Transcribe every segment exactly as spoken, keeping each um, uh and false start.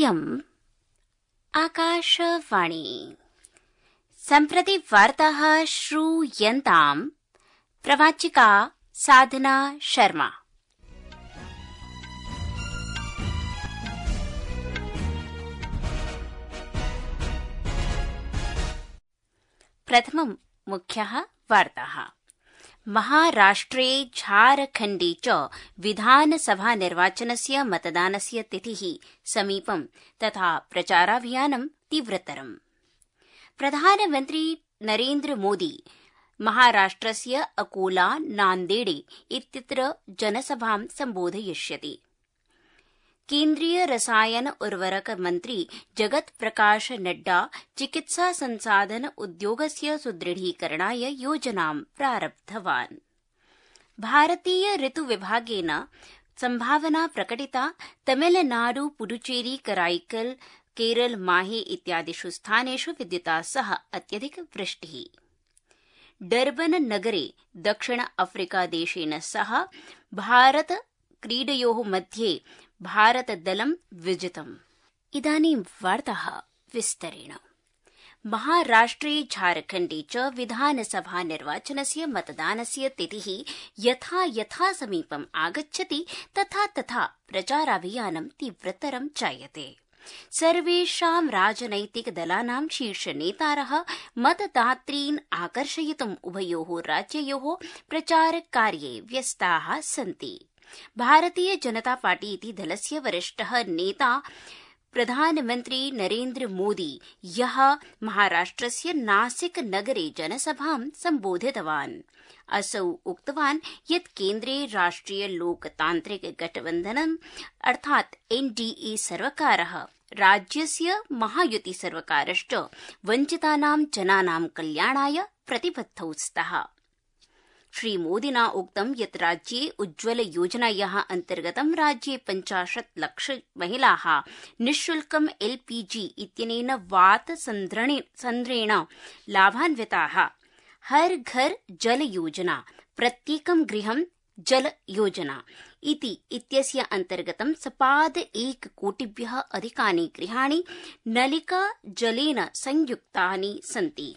इयम् आकाशवाणी। सम्प्रति वार्ताः श्रूयन्ताम् प्रवाचिका साधना शर्मा। प्रथमं मुख्यः वार्ताः। महाराष्ट्रे झारखण्डे च विधानसभा निर्वाचनस्य मतदानस्य तिथिः समीपं तथा प्रचाराभियानं तीव्रतरम्। प्रधानमन्त्री नरेन्द्र मोदी महाराष्ट्रस्य अकोला नान्देडे इत्यत्र जनसभां सम्बोधयिष्यति। केन्द्रीय रसायन उर्वरक मन्त्री जगत प्रकाश नड्डा चिकित्सा संसाधन उद्योगस्य सुदृढीकरणाय योजनां प्रारब्धवान्। भारतीय ऋतु विभागेन संभावना प्रकटिता तमिलनाडु पुडुचेरी कराईकल केरल माहे इत्यादिषु स्थानेषु विद्युता सह अत्यधिक वृष्टिः। डर्बन नगरे दक्षिण अफ्रीका देशेन सह भारत क्रीडयोः मध्ये भारतदलं विजितम्। इदानीं वार्ताः विस्तरेण। महाराष्ट्रे झारखण्डे च विधानसभा निर्वाचनस्य मतदानस्य तिथिः यथा यथा समीपम् आगच्छति तथा तथा प्रचाराभियानं तीव्रतरं जायते। सर्वेषां राजनैतिकदलानां शीर्षनेतारः मतदातॄन् आकर्षयितुम् उभयोः राज्ययोः प्रचारकार्ये व्यस्ताः सन्ति। भारतीय जनता पार्टी इति दलस्य वरिष्ठः नेता प्रधानमन्त्री नरेन्द्र मोदी ह्यः महाराष्ट्रस्य नासिक नगरे जनसभां सम्बोधितवान्। असौ उक्तवान् यत् केन्द्रे राष्ट्रिय लोकतान्त्रिक गठबन्धनम् अर्थात् एनडीए सर्वकारः राज्यस्य महायुति सर्वकारश्च वञ्चितानां जनानां कल्याणाय प्रतिबद्धौ स्तः। श्रीमोदिना उक्तं यत् राज्ये उज्ज्वल योजनायाः अन्तर्गतं राज्ये पञ्चाशत् लक्ष महिलाः निःशुल्कम् एलपीजी इत्यनेन वात सन्ध्रेण लाभान्विताः। हर घर जल योजना, प्रत्येकं गृहं जल योजना इति इत्यस्य अन्तर्गतं सपाद एक कोटिभ्यः अधिकानि गृहाणि नलिका जलेन संयुक्तानि सन्ति।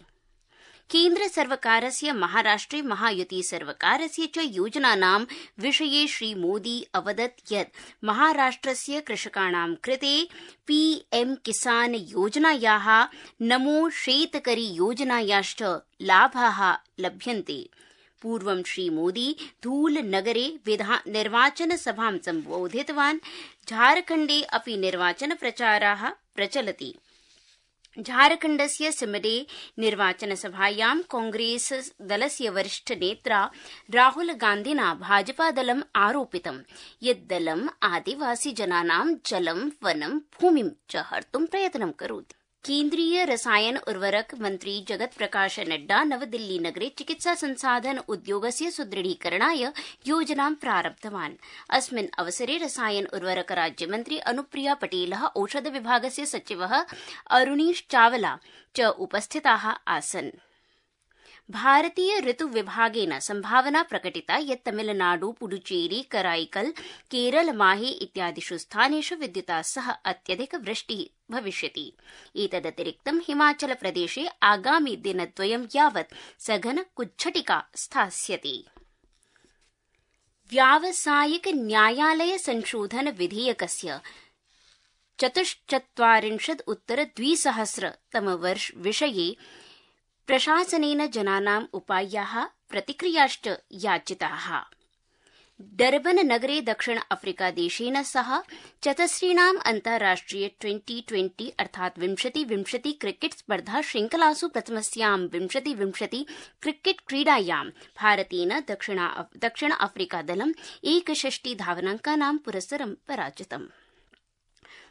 केन्द्र सर्वकारस्य महाराष्ट्रे महायुति सर्वकारस्य च योजनानां विषये श्रीमोदी अवदत् यत् महाराष्ट्रस्य कृषकाणां कृते पीएम किसान योजनायाः नमो शेतकरी योजनायाश्च लाभाः लभ्यन्ते। पूर्वं श्रीमोदी धूलनगरे निर्वाचनसभां सम्बोधितवान्। झारखण्डे अपि निर्वाचनप्रचाराः प्रचलति। झारखण्डस्य सिमडे निर्वाचनसभायां कांग्रेस दलस्य वरिष्ठ नेत्रा राहुल गान्धिना भाजपादलम् आरोपितं यत् दलम् आदिवासी जनानां जलं वनं भूमिं च हर्तुं प्रयत्नं करोति। केन्द्रीय रसायन उर्वरक मन्त्री जगत प्रकाश नड्डा नवदिल्ली नगरे चिकित्सा संसाधन उद्योगस्य सुदृढीकरणाय योजनां प्रारब्धवान्। अस्मिन् अवसरे रसायन उर्वरक राज्यमन्त्री अनुप्रिया पटेलः औषध विभागस्य सचिवः अरुणीश चावला च उपस्थिताः आसन्। भारतीय ऋतु विभागेन संभावना प्रकटिता यत् तमिलनाडु पुडुचेरी कराईकल केरल माहे इत्यादिषु स्थानेषु विद्युता सह अत्यधिक वृष्टिः भविष्यति। एतदतिरिक्तं हिमाचल प्रदेशे आगामि दिनद्वयं यावत् सघन कुज्झटिका स्थास्यति। व्यावसायिक न्यायालय संशोधन विधेयकस्य चतुश्चत्वारिंशत् उत्तर द्विसहस्रतम वर्ष विषये प्रशासनेन जनानाम् उपायाः प्रतिक्रियाश्च याचिताः। डर्बन नगरे दक्षिण अफ्रीका देशेन सह चतस्रीणाम् अन्ताराष्ट्रिय ट्वेंटी ट्वेंटी अर्थात् विंशति विंशति क्रिकेट स्पर्धा श्रृंखलासु प्रथमस्यां विंशति विंशति क्रिकेट क्रीडायां भारतेन दक्षिण अफ्रीका दलम् एकषष्टि धावनाङ्कानां पुरस्सरं पराजितम्।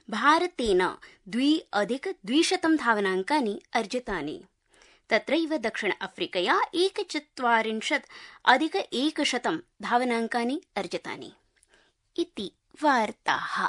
भारतेन द्वि अधिक द्विशतं धावनाङ्कानि अर्जितानि। तत्रैव दक्षिण अफ्रीकया एकचत्वारिंशत् अधिक एकशतं धावनाङ्कानि अर्जितानि। इति वार्ताः।